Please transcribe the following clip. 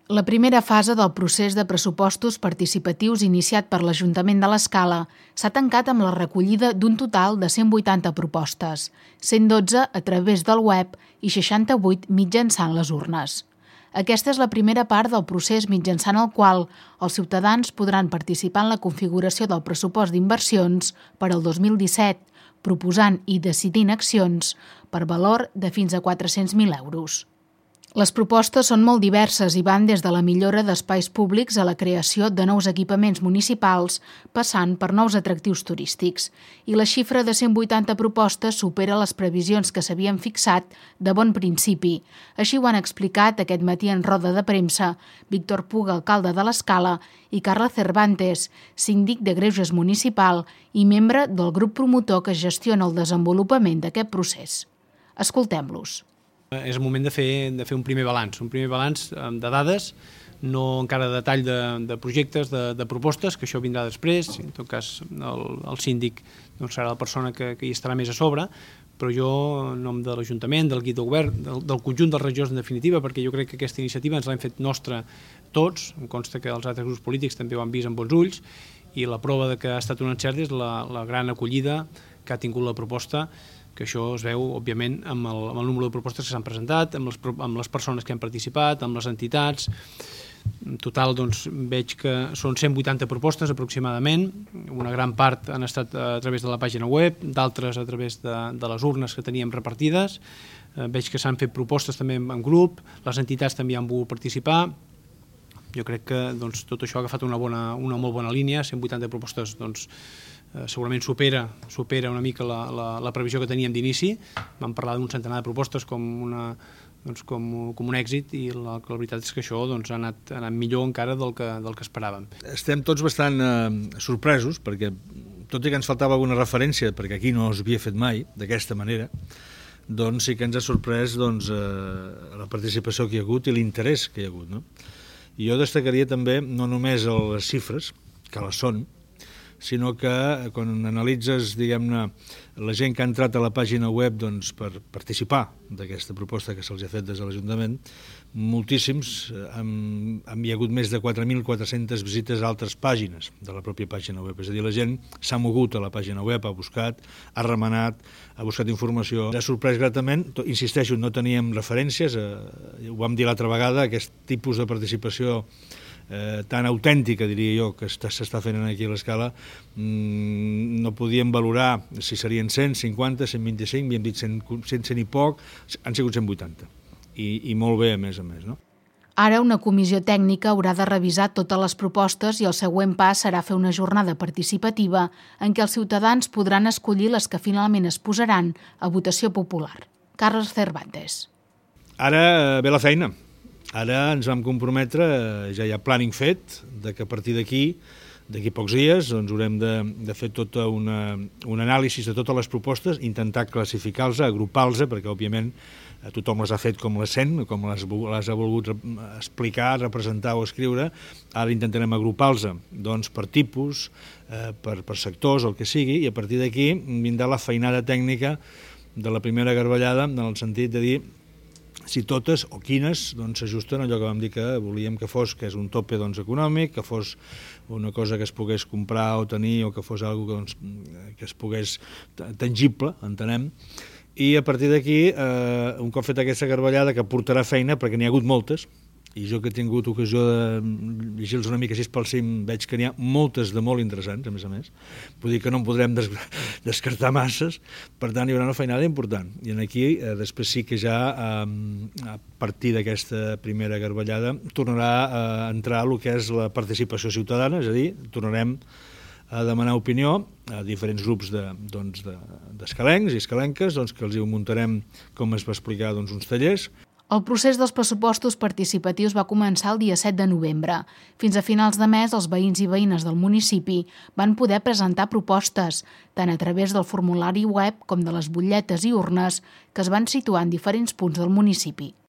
La primera fase del procés de pressupostos participatius iniciat per l'Ajuntament de l'Escala s'ha tancat amb la recollida d'un total de 180 propostes, 112 a través del web i 68 mitjançant les urnes. Aquesta és la primera part del procés mitjançant el qual els ciutadans podran participar en la configuració del pressupost d'inversions per al 2017, proposant i decidint accions per valor de fins a 400.000 euros. Les propostes són molt diverses i van des de la millora d'espais públics a la creació de nous equipaments municipals, passant per nous atractius turístics. I la xifra de 180 propostes supera les previsions que s'havien fixat de bon principi. Així ho han explicat aquest matí en roda de premsa Víctor Puga, alcalde de l'Escala, i Carla Cervantes, síndic de Greuges municipal i membre del grup promotor que gestiona el desenvolupament d'aquest procés. Escoltem-los. És el moment de fer un primer balanç de dades, no encara de detall de projectes, de propostes, que això vindrà després. En tot cas, el síndic serà la persona que hi estarà més a sobre, però jo, en nom de l'Ajuntament, del guia de govern, del conjunt dels regidors en definitiva, perquè jo crec que aquesta iniciativa ens l'hem fet nostra tots, em consta que els altres grups polítics també ho han vist amb bons ulls, i la prova que ha estat un encert és la gran acollida que ha tingut la proposta, que això es veu, òbviament, amb el número de propostes que s'han presentat, amb les persones que han participat, amb les entitats. En total, veig que són 180 propostes aproximadament. Una gran part han estat a través de la pàgina web, d'altres a través de les urnes que teníem repartides. Veig que s'han fet propostes també en grup, les entitats també han volgut participar. Jo crec que tot això ha agafat una molt bona línia, 180 propostes, segurament supera una mica la previsió que teníem d'inici. Vam parlar d'un centenar de propostes com un èxit, i la veritat és que això ha anat millor encara del que esperàvem. Estem tots bastant sorpresos, perquè tot i que ens faltava alguna referència, perquè aquí no s'havia fet mai d'aquesta manera, doncs sí que ens ha sorprès la participació que hi ha hagut i l'interès que hi ha hagut, no? I jo destacaria també no només les xifres, que les són, sinó que quan analitzes, diguem-ne, la gent que ha entrat a la pàgina web per participar d'aquesta proposta que se'ls ha fet des de l'Ajuntament, moltíssims, hi ha hagut més de 4.400 visites a altres pàgines de la pròpia pàgina web. És a dir, la gent s'ha mogut a la pàgina web, ha buscat, ha remenat, ha buscat informació. Ens ha sorprès gratament, insisteixo, no teníem referències, ho vam dir l'altra vegada, aquest tipus de participació tan autèntica, diria jo, que s'està fent aquí a l'Escala, no podíem valorar si serien 100, 50, 125, havíem dit 100 i poc, han sigut 180, i molt bé a més, no? Ara una comissió tècnica haurà de revisar totes les propostes i el següent pas serà fer una jornada participativa en què els ciutadans podran escollir les que finalment es posaran a votació popular. Carles Cervantes. Ara ve la feina. Ara ens vam comprometre, ja hi ha planning fet, que a partir d'aquí pocs dies, haurem de fer tota un anàlisi de totes les propostes, intentar classificar-les, agrupar-les, perquè òbviament tothom les ha fet com les sent, com les ha volgut explicar, representar o escriure. Ara intentarem agrupar-les per tipus, per sectors, el que sigui, i a partir d'aquí vindrà la feinada tècnica de la primera garbellada, en el sentit de dir si totes o quines s'ajusten a allò que vam dir que volíem que fos, que és un tope econòmic, que fos una cosa que es pogués comprar o tenir, o que fos alguna cosa que es pogués tangible, entenem. I a partir d'aquí, un cop fet aquesta garbellada, que portarà feina, perquè n'hi ha hagut moltes, i jo que he tingut ocasió de llegir-los una mica així pel cim, veig que n'hi ha moltes de molt interessants, a més. Vull dir que no en podrem descartar masses, per tant hi haurà una feinada important. I aquí, després sí que ja, a partir d'aquesta primera garbellada, tornarà a entrar el que és la participació ciutadana, és a dir, tornarem a demanar opinió a diferents grups d'escalencs i escalenques, que els hi muntarem, com es va explicar, uns tallers. El procés dels pressupostos participatius va començar el dia 7 de novembre. Fins a finals de mes, els veïns i veïnes del municipi van poder presentar propostes, tant a través del formulari web com de les butlletes i urnes que es van situar en diferents punts del municipi.